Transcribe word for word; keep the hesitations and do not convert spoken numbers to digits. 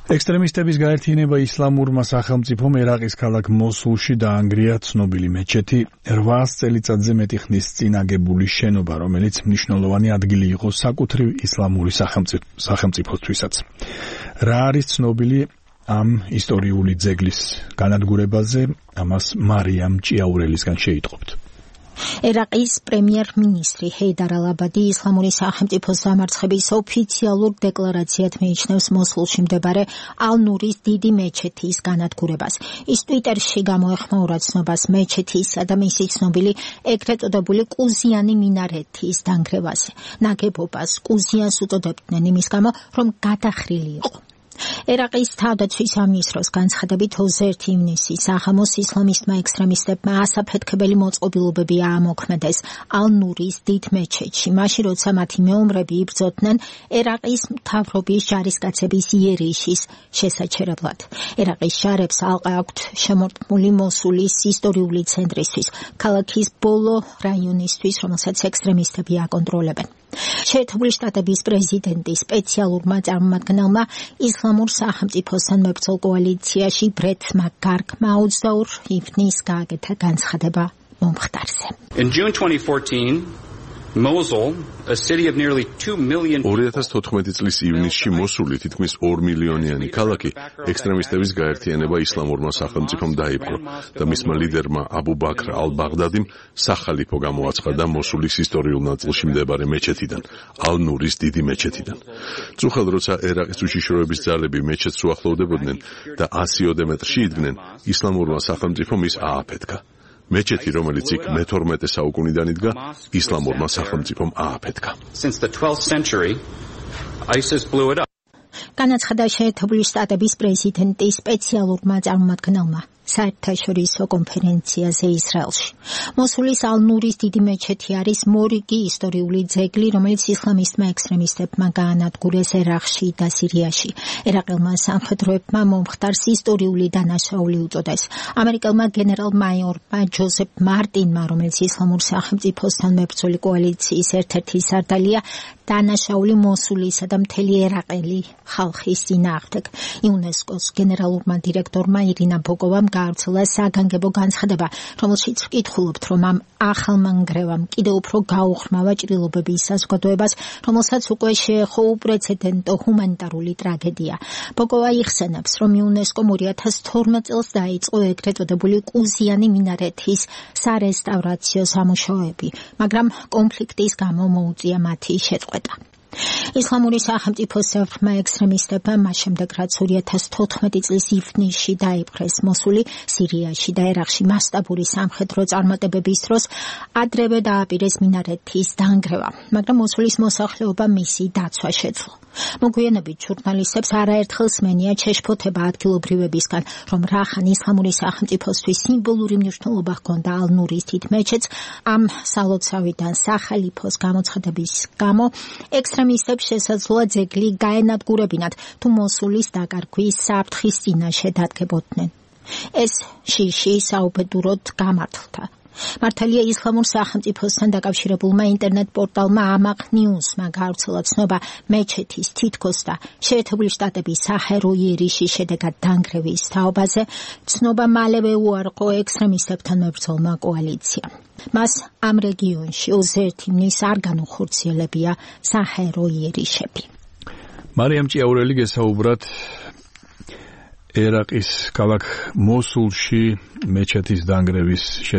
ექსტრემისტების გაერთიანება ისლამურმა სახელმწიფომ ერაყის ქალაქ მოსულში დაანგრია ცნობილი მეჩეთი რვაას წელიწადზე მეტი ხნის წინ აგებული შენობა, რომელიც მნიშვნელოვანი ადგილი იყო საკუთრივ ისლამური სახელმწიფოსთვისაც. რა არის ცნობილი ამ ისტორიული ძეგლის განადგურებაზე, ამას მარიამ ჭიაურელისგან შეიტყობთ. ერაყის პრემიერ-მინისტრი ჰეიდარ ალ-აბადი ისლამური სახელმწიფოს დამარცხების ოფიციალურ დეკლარაციად მიიჩნევს მოსულში მდებარე ალ-ნურის დიდი მეჩეთის განადგურებას. ის ტვიტერში გამოეხმაურა ცნობას მეჩეთისა და მისი ცნობილი ეგრეთ წოდებული კუზიანი მინარეთის დანგრევაზე. ნაგებობას კუზიანს უწოდებდნენ იმის გამო, რომ გადახრილი იყო. ერაყის თავდაცვის სამინისტროს განცხადებით ოცდაერთი ივნისი საღამოს ისლამისტმა ექსტრემისტებმა ასაფეთქებელი მოწყობილობები აამოქმედეს ალ-ნურის დიდ მეჩეთში, მაშინ როცა მათი მეომრები იბრძოდნენ ერაყის მთავრობის ჯარისკაცების იერიშის შესაჩერებლად. ერაყის ჯარებს ალყა აქვთ შემორტყმული მოსულის ისტორიული ცენტრისთვის, ქალაქის ბოლო რაიონისთვის, რომელსაც ექსტრემისტები აკონტროლებენ. შეერთებული შტატების პრეზიდენტის სპეციალურმა წარმომადგენელმა ისლამურ სახელმწიფოსთან მებრძოლ კოალიციაში ბრეთ მაკგარგმა ოცდაორი ივნისს გააკეთა განცხადება მომხდარზე. In June twenty fourteen, Mosul, a city of nearly two million ორი ათას თოთხმეტი წლის ივნისში მოსული თითქმის ორ მილიონიანი ქალაქი ექსტრემისტების გაერთიანება ისლამურმა სახელმწიფომ დაიპყრო და მისმა ლიდერმა აბუ ბაქრ ალ-ბაღდადიმ სახალიფო გამოაცხადა მოსულის ისტორიულ ნაწილში მდებარე მეჩეთიდან, ალ-ნურის დიდი მეჩეთიდან. წუხელ როცა ერაყის უშიშროების ძალები მეჩეთს უახლოვდებოდნენ და ასიოდე მეტრში იდგნენ, ისლამურმა სახელმწიფომ ის ააფეთქა. მეჩეთი, რომელიც იქ მეთორმეტე საუკუნიდან იდგა, ისლამურმა სახელმწიფომ ააფეთქა. განაცხადა შეერთებული შტატების პრეზიდენტის სპეციალურმა წარმომადგენელმა საერთაშორისო კონფერენციაზე ისრაელში. მოსულის ალ-ნურის დიდი მეჩეთი არის მორიგი ისტორიული ძეგლი, რომელიც ისლამისტმა ექსტრემისტებმა გაანადგურეს ერაყში და სირიაში. ერაყელმა სამხედროებმა მომხდარს ისტორიული დანაშაული უწოდეს. ამერიკელმა გენერალ-მაიორმა ჯოზეფ მარტინმა, რომელიც ისლამურ სახელმწიფოსთან მებრძოლი კოალიციის ერთ-ერთი სარდალია, დანაშაული მოსულისა და მთელი ერაყელი ხალხის წინააღმდეგ. იუნესკოს გენერალურმა დირექტორმა ირინა ბოგოვამ გაავრცელა საგანგებო განცხადება, რომელშიც ვკითხულობთ, რომ ამ ახალმა ნგრევამ კიდევ უფრო გაუხრმავა ჭრილობების საზოგადოებას, რომელსაც უკვე შეეხო უპრეცედენტო ჰუმანიტარული ტრაგედია. ბოგოვა იხსენებს, რომ იუნესკომ ორი ათას თორმეტ წელს დაიწყო ეგრეთ წოდებული კუზიანი მინარეთის სარესტავრაციო სამუშაოები, მაგრამ კონფლიქტის გამო მოუწია მათი შეწყვეტა. ისლამური სახელმწიფოს საერთმა ექსტრემისტებმა მას შემდეგ, რაც ორი ათას თოთხმეტი წლის ივნისში დაიპყრეს მოსული, სირიაში და ერაყში მასშტაბური სამხედრო წარმატებების დროს ადრევე დააპირეს მინარეთის დანგრევა, მაგრამ მოსულის მოსახლეობა მისი დაცვა შეძლო. მოგვიანებით ჟურნალისტებს არაერთხელ სმენია ჩეშფოთება ადგილობრივებისგან, რომ რახან ისლამური სახელმწიფოსთვის სიმბოლური მნიშვნელობა ჰქონდა ალ-ნურის დიდ მეჩეთს, ამ სალოცავიდან სახალიფოს გამოცხადების გამო ექსტრემისტებს შესაძლოა ძეგლი გაენადგურებინათ, თუ მოსულის დაკარგვის საფრთხის წინაშე დადგებოდნენ. ეს შიში საუბედუროდ გამართლდა. მართალია ისლამურ სახელმწიფოსთან დაკავშირებულმა ინტერნეტ პორტალმა ამაყ ნიუსმა გაავრცელა ცნობა მეჩეთის თითქოს და შეერთებული შტატების საჰერო იერიშის შედეგად დანგრევის თაობაზე. ცნობა მალევე უარყო ექსტრემისტებთან მებრძოლმა კოალიციამ. მას ამ რეგიონში ოცდაერთი ივნისს არ განუხორციელებია საჰერო იერიშები. მარიამ ჭიაურელი გესაუბრათ ერაყის ქალაქ მოსულში მეჩეთის დანგრევის შესახებ.